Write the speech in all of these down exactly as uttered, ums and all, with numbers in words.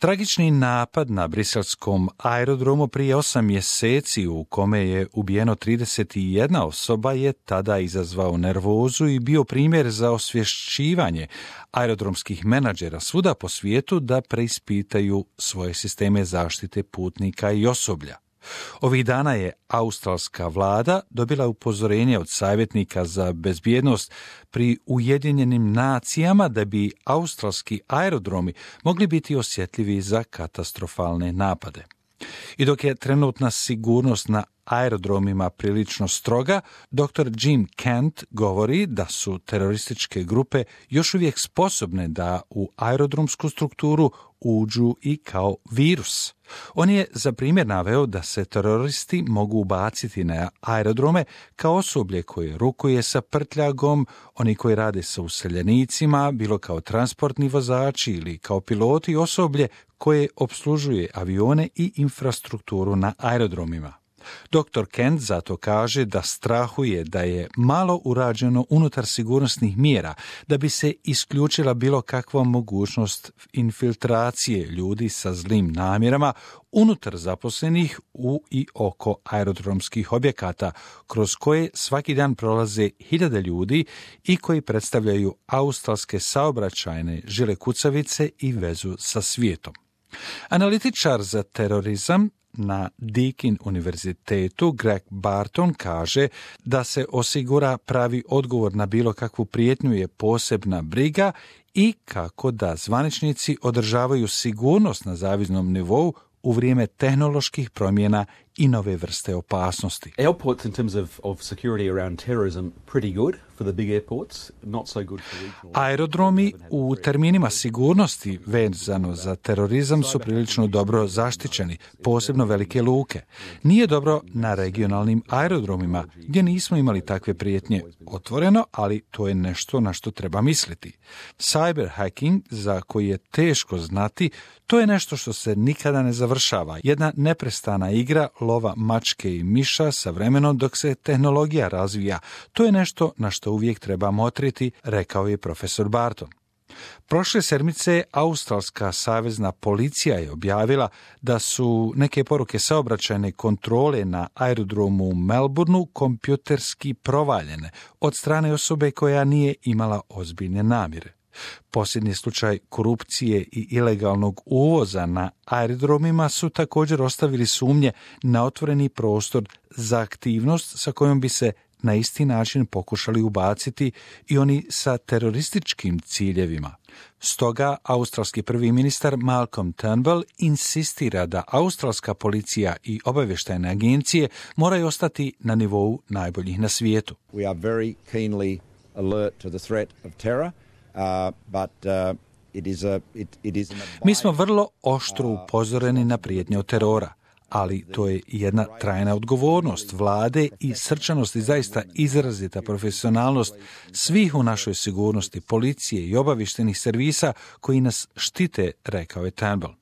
Tragični napad na briselskom aerodromu prije osam mjeseci u kome je ubijeno trideset jedna osoba je tada izazvao nervozu i bio primjer za osvješćivanje aerodromskih menadžera svuda po svijetu da preispitaju svoje sisteme zaštite putnika i osoblja. Ovih dana je australska vlada dobila upozorenje od savjetnika za bezbjednost pri Ujedinjenim nacijama da bi australski aerodromi mogli biti osjetljivi za katastrofalne napade. I dok je trenutna sigurnost na aerodromima prilično stroga, doktor Jim Kent govori da su terorističke grupe još uvijek sposobne da u aerodromsku strukturu uđu i kao virus. On je za primjer naveo da se teroristi mogu ubaciti na aerodrome kao osoblje koje rukuje sa prtljagom, oni koji rade sa useljenicima, bilo kao transportni vozači ili kao piloti, osoblje koje opslužuje avione i infrastrukturu na aerodromima. doktor Kent zato kaže da strahuje da je malo urađeno unutar sigurnosnih mjera da bi se isključila bilo kakva mogućnost infiltracije ljudi sa zlim namjerama unutar zaposlenih u i oko aerodromskih objekata, kroz koje svaki dan prolaze hiljade ljudi i koji predstavljaju australske saobraćajne žile kucavice i vezu sa svijetom. Analitičar za terorizam na Deakin univerzitetu Greg Barton kaže da se osigura pravi odgovor na bilo kakvu prijetnju je posebna briga i kako da zvaničnici održavaju sigurnost na zavidnom nivou u vrijeme tehnoloških promjena i nove vrste opasnosti. Airports in terms of, of security around terrorism pretty good for the big airports, not so good for regional. Aerodromi u terminima sigurnosti vezano za terorizam su prilično dobro zaštićeni, posebno velike luke. Nije dobro na regionalnim aerodromima gdje nismo imali takve prijetnje otvoreno, ali to je nešto na što treba misliti. Cyber hacking, za koji je teško znati, to je nešto što se nikada ne završava. Jedna neprestana igra lova mačke i miša sa vremenom dok se tehnologija razvija. To je nešto na što uvijek treba motriti, rekao je profesor Barton. Prošle sedmice australska savezna policija je objavila da su neke poruke saobraćajne kontrole na aerodromu u Melbourneu kompjuterski provaljene od strane osobe koja nije imala ozbiljne namjere. Posljednji slučaj korupcije i ilegalnog uvoza na aerodromima su također ostavili sumnje na otvoreni prostor za aktivnost sa kojom bi se na isti način pokušali ubaciti i oni sa terorističkim ciljevima. Stoga australski prvi ministar Malcolm Turnbull insistira da australska policija i obavještajne agencije moraju ostati na nivou najboljih na svijetu. We are very keenly alert to the threat of terror. Uh, but, uh, it is a, it, it is an... Mi smo vrlo oštro upozoreni na prijetnje od terora, ali to je jedna trajna odgovornost vlade i srčanost i zaista izrazita profesionalnost svih u našoj sigurnosti, policije i obavještajnih servisa koji nas štite, rekao je Turnbull.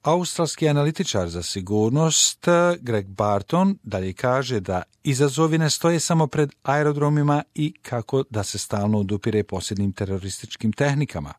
Australski analitičar za sigurnost Greg Barton dalje kaže da izazovi ne stoje samo pred aerodromima i kako da se stalno odupire posljednjim terorističkim tehnikama.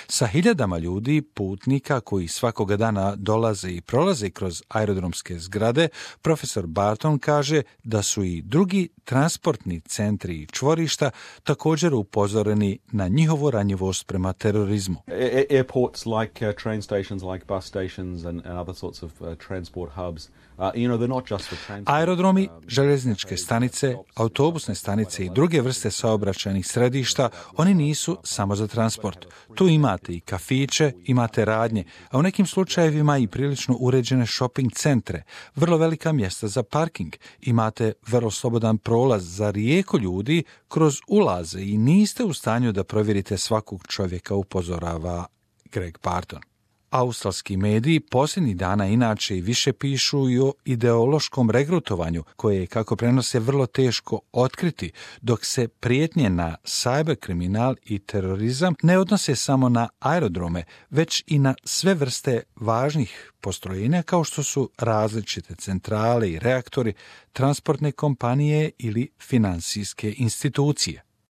Sa hiljadama ljudi, putnika koji svakoga dana dolaze i prolaze kroz aerodromske zgrade, profesor Barton kaže da su i drugi transportni centri i čvorišta također upozoreni na njihovu ranjivost prema terorizmu. Airports like uh, train stations, like bus stations and, and other sorts of uh, transport hubs. Uh, you know, they're not just for transport. Aerodromi, željezničke stanice, autobusne stanice i druge vrste saobraćajnih središta, oni nisu samo za transport. Tu imate i kafiće, imate radnje, a u nekim slučajevima i prilično uređene shopping centre, vrlo velika mjesta za parking, imate vrlo slobodan prolaz za rijeku ljudi kroz ulaze i niste u stanju da provjerite svakog čovjeka, upozorava Greg Barton. Australski mediji posljednjih dana inače i više pišu i o ideološkom regrutovanju, koje je, kako prenose, vrlo teško otkriti, dok se prijetnje na cyber kriminal i terorizam ne odnose samo na aerodrome, već i na sve vrste važnih postrojenja kao što su različite centrale i reaktori, transportne kompanije ili financijske institucije.